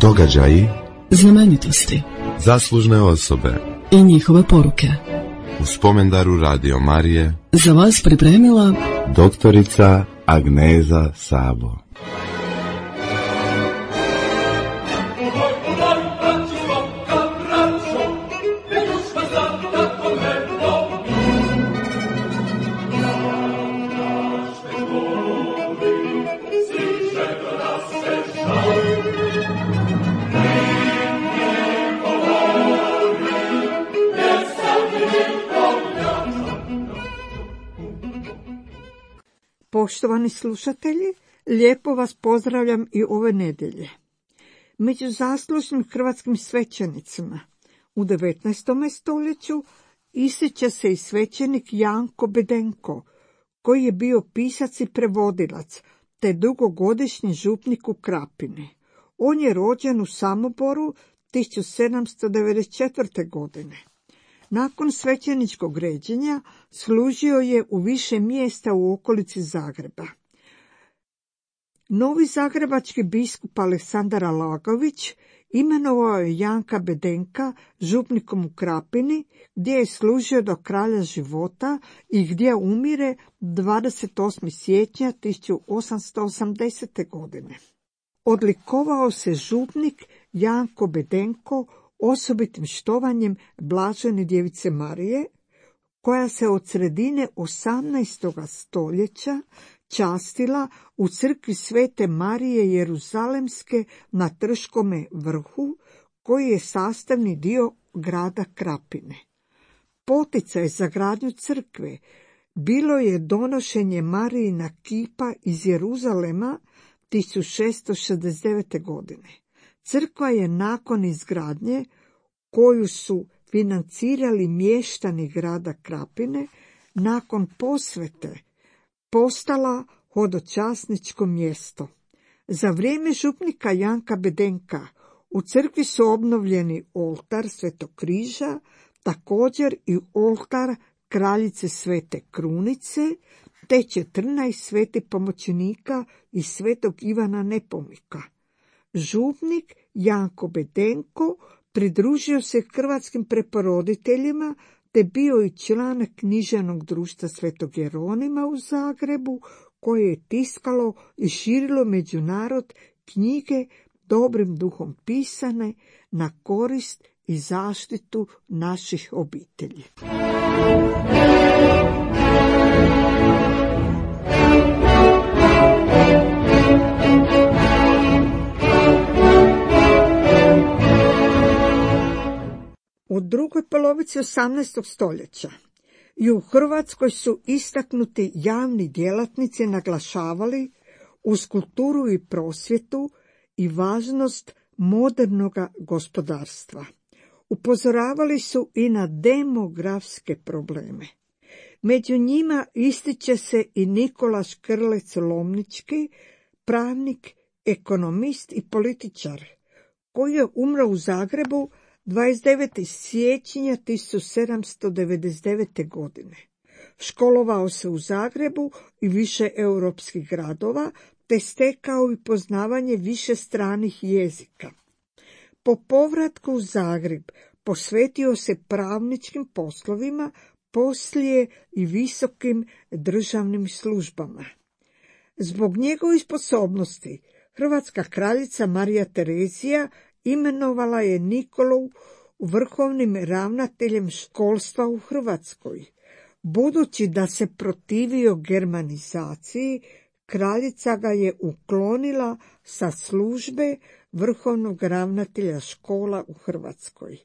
Događaji, znamenitosti, zaslužne osobe i njihove poruke. U spomendaru Radio Marije Za vas pripremila doktorica Agneza Sabo. Poštovani slušatelji, lijepo vas pozdravljam i ove nedjelje. Među zaslužnim hrvatskim svećenicima u 19. stoljeću ističe se i svećenik Janko Bedenko, koji je bio pisac i prevodilac, te dugogodišnji župnik u Krapini. On je rođen u Samoboru 1794. godine. Nakon svećeničkog ređenja služio je u više mjesta u okolici Zagreba. Novi zagrebački biskup Aleksandar Alagović imenovao je Janka Bedenka župnikom u Krapini, gdje je služio do kraja života i gdje umire 28. siječnja 1880. godine. Odlikovao se župnik Janko Bedenko osobitim štovanjem Blažene djevice Marije, koja se od sredine 18. stoljeća častila u crkvi Svete Marije Jeruzalemske na Trškome vrhu, koji je sastavni dio grada Krapine. Poticaj za gradnju crkve bilo je donošenje Marijina kipa iz Jeruzalema 1669. godine. Crkva je nakon izgradnje, koju su financirali mještani grada Krapine, nakon posvete postala hodočasničko mjesto. Za vrijeme župnika Janka Bedenka u crkvi su obnovljeni oltar Svetog križa, također i oltar kraljice Svete Krunice, te 14 svetih pomoćnika i Svetog Ivana Nepomnika. Župnik Janko Bedenko pridružio se hrvatskim preporoditeljima te bio i član književnog društva Svetog Jeronima u Zagrebu, koje je tiskalo i širilo među narod knjige dobrim duhom pisane na korist i zaštitu naših obitelji. U drugoj polovici 18. stoljeća i u Hrvatskoj su istaknuti javni djelatnici naglašavali uz kulturu i prosvjetu i važnost modernog gospodarstva. Upozoravali su i na demografske probleme. Među njima ističe se i Nikola Škrlec Lomnički, pravnik, ekonomist i političar, koji je umro u Zagrebu 29. siječnja 1799. godine. Školovao se u Zagrebu i više europskih gradova, te stekao i poznavanje više stranih jezika. Po povratku u Zagreb posvetio se pravničkim poslovima, poslije i visokim državnim službama. Zbog njegovih sposobnosti hrvatska kraljica Marija Terezija imenovala je Nikolu vrhovnim ravnateljem školstva u Hrvatskoj. Budući da se protivio germanizaciji, kraljica ga je uklonila sa službe vrhovnog ravnatelja škola u Hrvatskoj.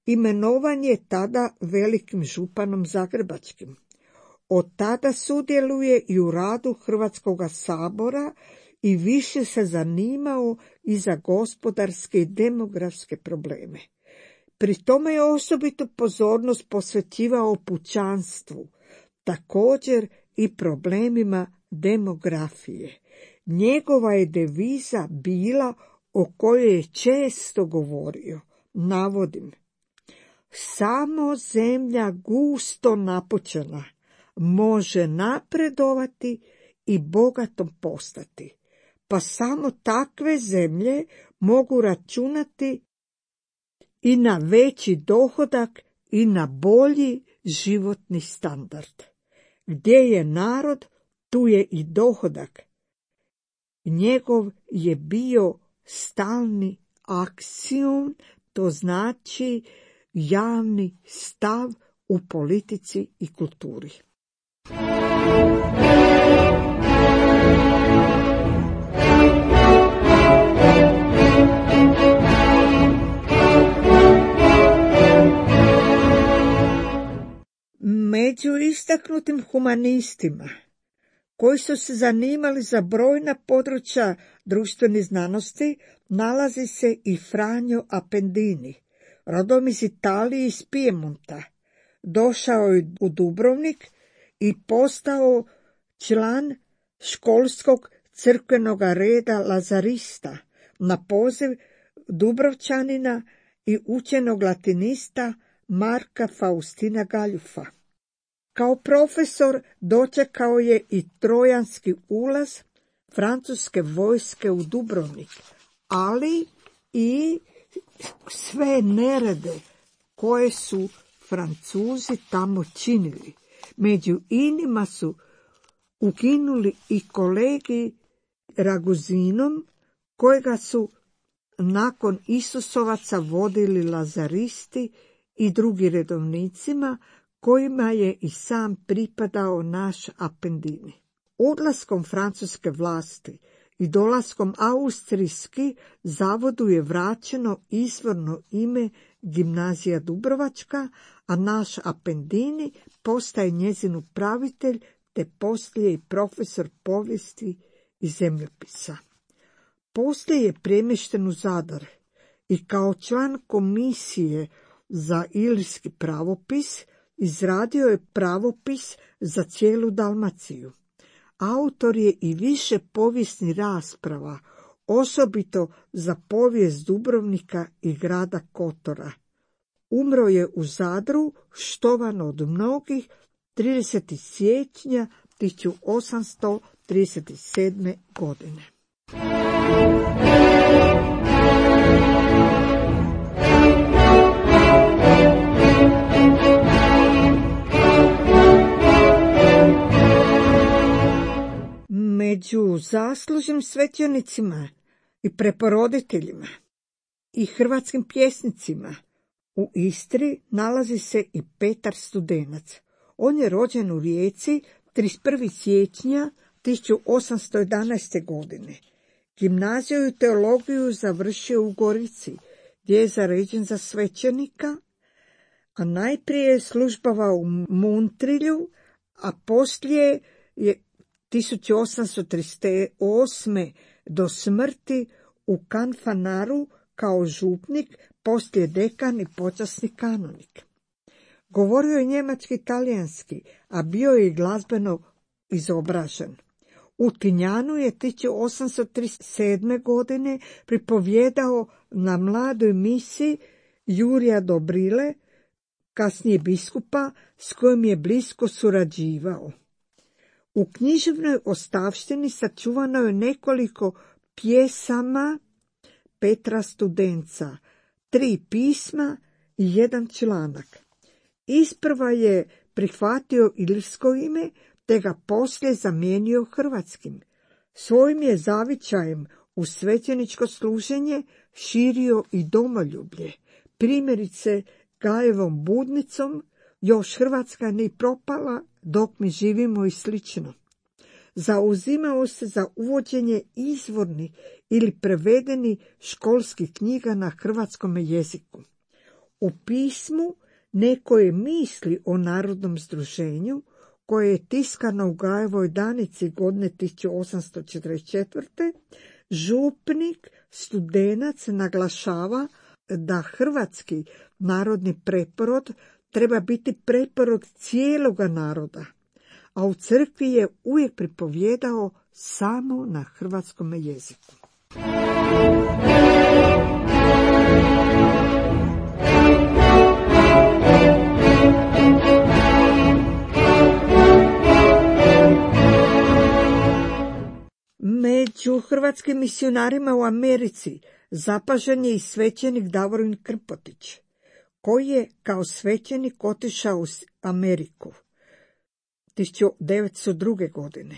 Imenovan je tada velikim županom zagrebačkim. Od tada sudjeluje i u radu Hrvatskog sabora i više se zanimao i za gospodarske i demografske probleme. Pri tome je osobitu pozornost posvećivao pučanstvu, također i problemima demografije. Njegova je deviza bila, o kojoj je često govorio, navodim: samo zemlja gusto napućena može napredovati i bogatom postati, pa samo takve zemlje mogu računati i na veći dohodak i na bolji životni standard. Gdje je narod, tu je i dohodak. Njegov je bio stalni aksiom, to znači javni stav u politici i kulturi. Među istaknutim humanistima koji su se zanimali za brojna područja društvenih znanosti nalazi se i Franjo Appendini, rodom iz Italije iz Pijemonta. Došao je u Dubrovnik i postao član školskog crkvenog reda lazarista na poziv Dubrovčanina i učenog latinista Marka Faustina Galjufa. Kao profesor dočekao je i trojanski ulaz francuske vojske u Dubrovnik, ali i sve nerede koje su Francuzi tamo činili. Među inima su ukinuli i kolegi Raguzinom, kojega su nakon Isusovaca vodili lazaristi i drugi redovnicima, kojima je i sam pripadao naš Appendini. Odlaskom francuske vlasti i dolaskom austrijski zavodu je vraćeno izvorno ime Gimnazija Dubrovačka, a naš Appendini postaje njezin upravitelj te poslije i profesor povijesti i zemljopisa. Poslije je premješten u Zadar i kao član komisije za ilirski pravopis izradio je pravopis za cijelu Dalmaciju. Autor je i više povijesnih rasprava, osobito za povijest Dubrovnika i grada Kotora. Umro je u Zadru, štovan od mnogih, 30. siječnja 1837. godine. Među zaslužnim svećenicima i preporoditeljima i hrvatskim pjesnicima u Istri nalazi se i Petar Studenac. On je rođen u Rijeci 31. siječnja 1811. godine. Gimnaziju i teologiju završio u Gorici, gdje je zaređen za svećenika, a najprije je službovao u Montrilju, a poslije je 1838. do smrti u Kanfanaru kao župnik, poslije dekan i počasni kanonik. Govorio je njemački i talijanski, a bio je i glazbeno izobražen. U Tinjanu je 1837. godine pripovjedao na mladoj misi Jurija Dobrile, kasnije biskupa, s kojim je blisko surađivao. U književnoj ostavštini sačuvano je nekoliko pjesama Petra Studenca, 3 pisma i 1 članak. Isprva je prihvatio ilirsko ime, te ga poslije zamijenio hrvatskim. Svojim je zavičajem u svećeničko služenje širio i domoljublje. Primjerice, Gajevom budnicom još Hrvatska ne propala dok mi živimo i slično. Zauzimao se za uvođenje izvornih ili prevedeni školskih knjiga na hrvatskom jeziku. U pismu Nekoje misli o narodnom združenju, koje je tiskano u Gajevoj Danici godine 1844. župnik Studenac naglašava da hrvatski narodni preporod treba biti preporod cijeloga naroda, a u crkvi je uvijek pripovjedao samo na hrvatskom jeziku. Među hrvatskim misionarima u Americi zapažen je i svećenik Davorin Krmpotić, koji je kao svećenik otišao u Ameriku 1902. godine,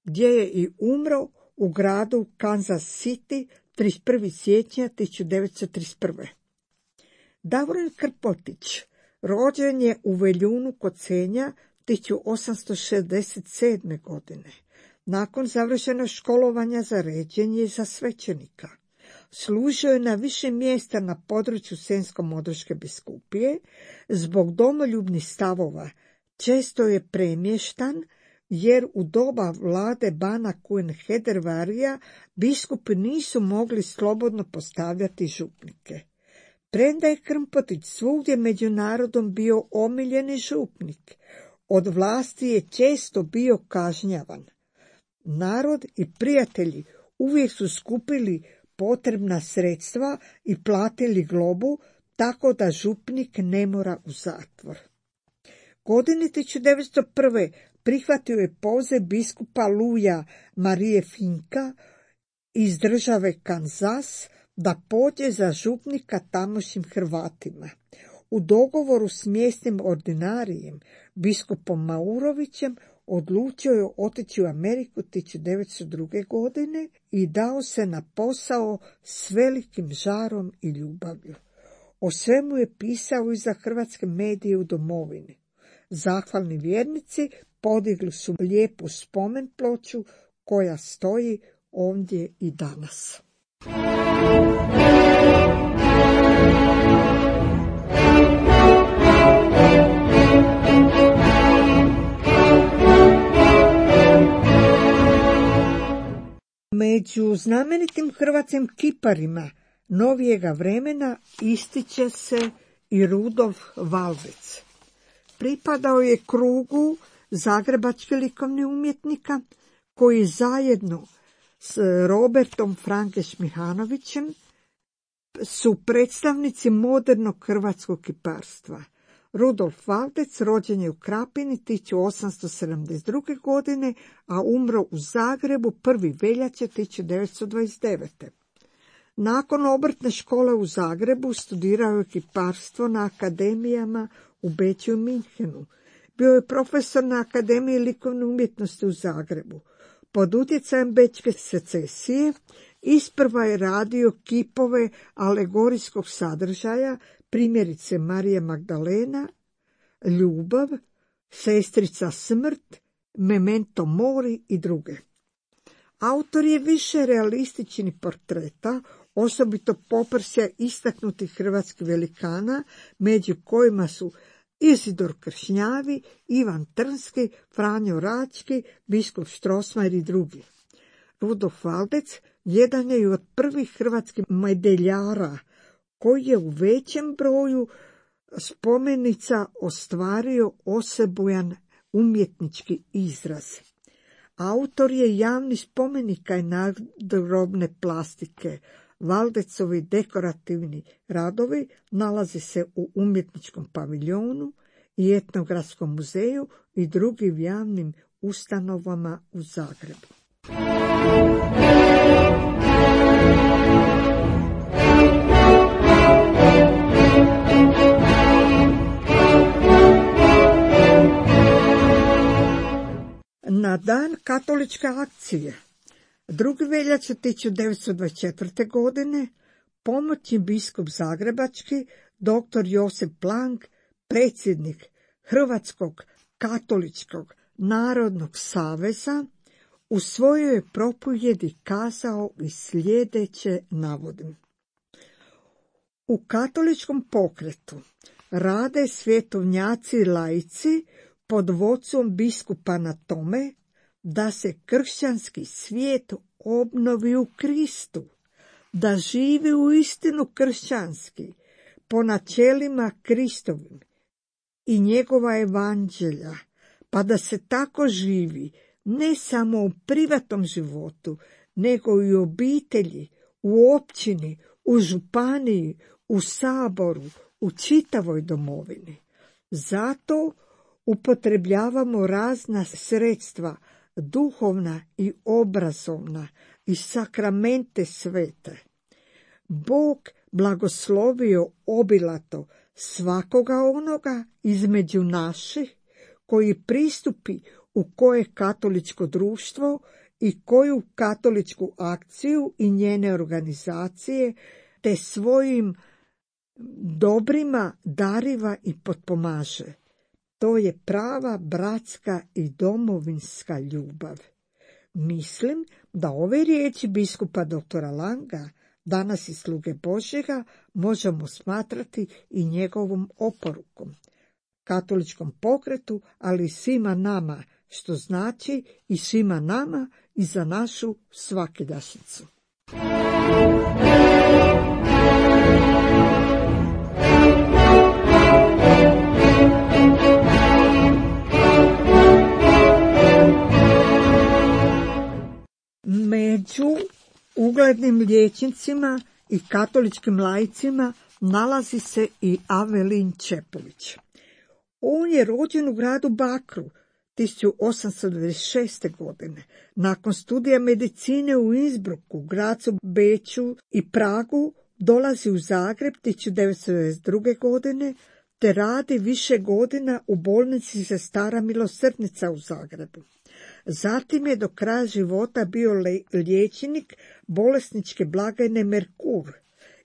gdje je i umro u gradu Kansas City 31. siječnja 1931. Davorin Krmpotić rođen je u Veljunu kod Senja 1867. godine. Nakon završenog školovanja za ređenje za svećenika, služio je na više mjesta na području Senjsko-Modraške biskupije. Zbog domoljubnih stavova često je premještan, jer u doba vlade bana Kujen Hedervarija biskupi nisu mogli slobodno postavljati župnike. Premda je Krmpotić svugdje među narodom bio omiljeni župnik, od vlasti je često bio kažnjavan. Narod i prijatelji uvijek su skupili potrebna sredstva i platili globu, tako da župnik ne mora u zatvor. Godine 1901. prihvatio je poziv biskupa Luja Marije Finka iz države Kanzas da pođe za župnika tamošnjim Hrvatima. U dogovoru s mjesnim ordinarijem, biskupom Maurovićem, odlučio je otići u Ameriku 1902. godine i dao se na posao s velikim žarom i ljubavlju. O svemu je pisao i za hrvatske medije u domovini. Zahvalni vjernici podigli su lijepu spomen ploču koja stoji ondje i danas. Među znamenitim hrvatskim kiparima novijega vremena ističe se i Rudolf Valdec. Pripadao je krugu zagrebačkih likovnih umjetnika koji zajedno s Robertom Frankeš Mihanovićem su predstavnici modernog hrvatskog kiparstva. Rudolf Valdec rođen je u Krapini 1872. godine, a umro u Zagrebu 1. veljače 1929. Nakon obrtne škole u Zagrebu studirao je kiparstvo na akademijama u Beču i Minhenu. Bio je profesor na Akademiji likovne umjetnosti u Zagrebu. Pod utjecajem Bečke secesije isprva je radio kipove alegorijskog sadržaja, primjerice Marija Magdalena, Ljubav, Sestrica smrt, Memento mori i druge. Autor je više realističnih portreta, osobito poprsja istaknutih hrvatskih velikana, među kojima su Izidor Kršnjavi, Ivan Trnski, Franjo Rački, biskup Strossmayer i drugi. Rudolf Valdec jedan je od prvih hrvatskih medaljara koji je u većem broju spomenica ostvario osebujan umjetnički izraz. Autor je javnih spomenika i nadgrobne plastike. Valdecovi dekorativni radovi nalaze se u umjetničkom paviljonu i etnografskom muzeju i drugim javnim ustanovama u Zagrebu. Na dan katoličke akcije 2. veljače 1924. godine pomoćni biskup zagrebački dr. Josip Plank, predsjednik Hrvatskog katoličkog narodnog saveza, u svojoj propovjedi kazao i sljedeće navodim. U katoličkom pokretu rade svjetovnjaci i laici pod vodstvom biskupa na tome da se kršćanski svijet obnovi u Kristu, da živi u istinu kršćanski, po načelima Kristovim i njegova evanđelja, pa da se tako živi ne samo u privatnom životu, nego i u obitelji, u općini, u županiji, u saboru, u čitavoj domovini. Zato upotrebljavamo razna sredstva duhovna i obrazovna i sakramente svete. Bog blagoslovio obilato svakoga onoga između naših koji pristupi u koje katoličko društvo i koju katoličku akciju i njene organizacije te svojim dobrima dariva i potpomaže. To je prava bratska i domovinska ljubav. Mislim da ove riječi biskupa doktora Langa, danas i sluge Božjega, možemo smatrati i njegovom oporukom katoličkom pokretu, ali i svima nama, što znači i svima nama i za našu svakidašnjicu. Među uglednim liječnicima i katoličkim laicima nalazi se i Avelin Čepulić. On je rođen u gradu Bakru 1896. godine. Nakon studija medicine u Innsbrucku, Gracu, Beču i Pragu dolazi u Zagreb 1992. godine te radi više godina u bolnici Sestara Milosrdnica u Zagrebu. Zatim je do kraja života bio liječnik bolesničke blagajne Merkur,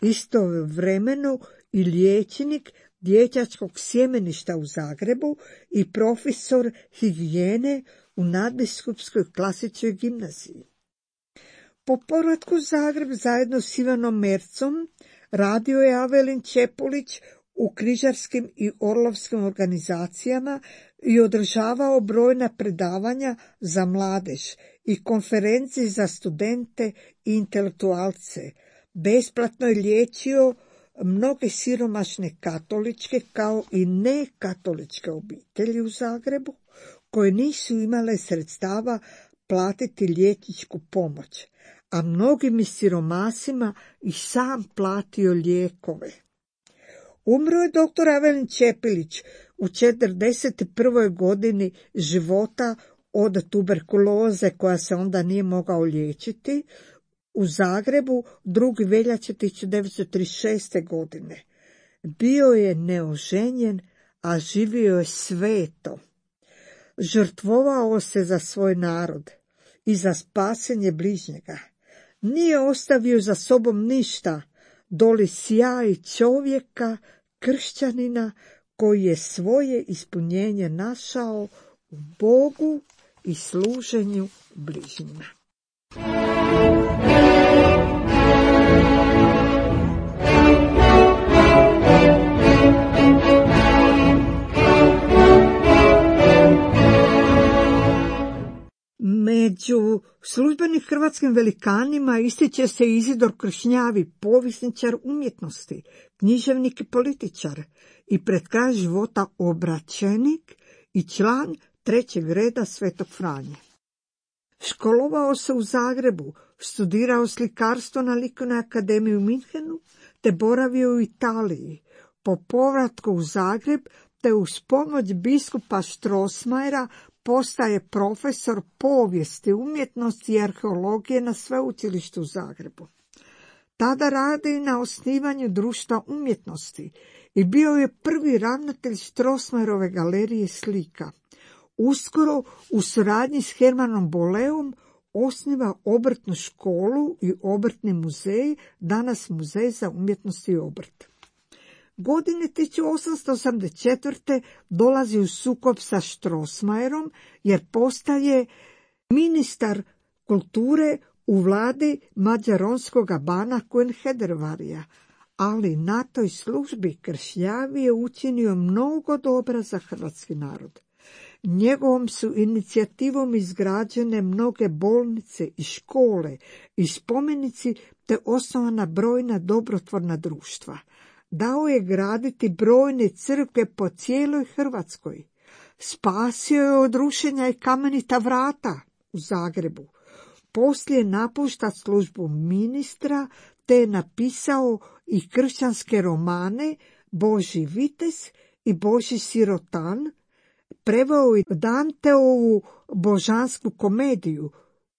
istovremeno i liječnik dječačkog sjemeništa u Zagrebu i profesor higijene u Nadbiskupskoj klasičnoj gimnaziji. Po povratku u Zagreb zajedno s Ivanom Mercom radio je Avelin Čepulić u križarskim i orlovskim organizacijama i održavao brojna predavanja za mladež i konferencije za studente i intelektualce. Besplatno je liječio mnoge siromašne katoličke kao i nekatoličke obitelji u Zagrebu koje nisu imale sredstava platiti liječničku pomoć, a mnogim siromasima i sam platio lijekove. Umro je dr. Avelin Čepulić u 41. godini života od tuberkuloze koja se onda nije mogao liječiti u Zagrebu 2. veljače 1936. godine. Bio je neoženjen, a živio je sveto. Žrtvovao se za svoj narod i za spasenje bližnjega. Nije ostavio za sobom ništa, doli sjaj čovjeka, kršćanina, koji je svoje ispunjenje našao u Bogu i služenju bližnjima. Među službenim hrvatskim velikanima ističe se Izidor Kršnjavi, povjesničar umjetnosti, književnik i političar i pred kraj života obraćenik i član 3. reda Svetog Franje. Školovao se u Zagrebu, studirao slikarstvo na Likovnoj akademiji u Minhenu te boravio u Italiji. Po povratku u Zagreb te uz pomoć biskupa Strossmayera postaje profesor povijesti, umjetnosti i arheologije na Sveučilištu u Zagrebu. Tada radi na osnivanju društva umjetnosti i bio je prvi ravnatelj Strossmayerove galerije slika. Uskoro u suradnji s Hermanom Boleom osniva obrtnu školu i obrtni muzej, danas Muzej za umjetnost i obrt. Godine 1884. dolazi u sukob sa Strossmayerom jer postaje ministar kulture u vladi mađaronskoga bana Coenhedervarija, ali na toj službi Kršnjavi je učinio mnogo dobra za hrvatski narod. Njegovom su inicijativom izgrađene mnoge bolnice i škole i spomenici te osnovana brojna dobrotvorna društva. Dao je graditi brojne crkve po cijeloj Hrvatskoj. Spasio je od rušenja i Kamenita vrata u Zagrebu. Poslije napušta službu ministra te je napisao i kršćanske romane Božji vitez i Božji sirotan Preveo i Danteovu Božansku komediju,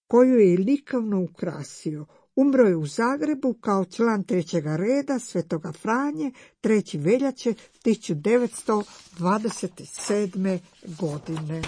koju je likovno ukrasio. Umro je u Zagrebu kao član trećega reda Svetoga Franje 3. veljače 1927. godine.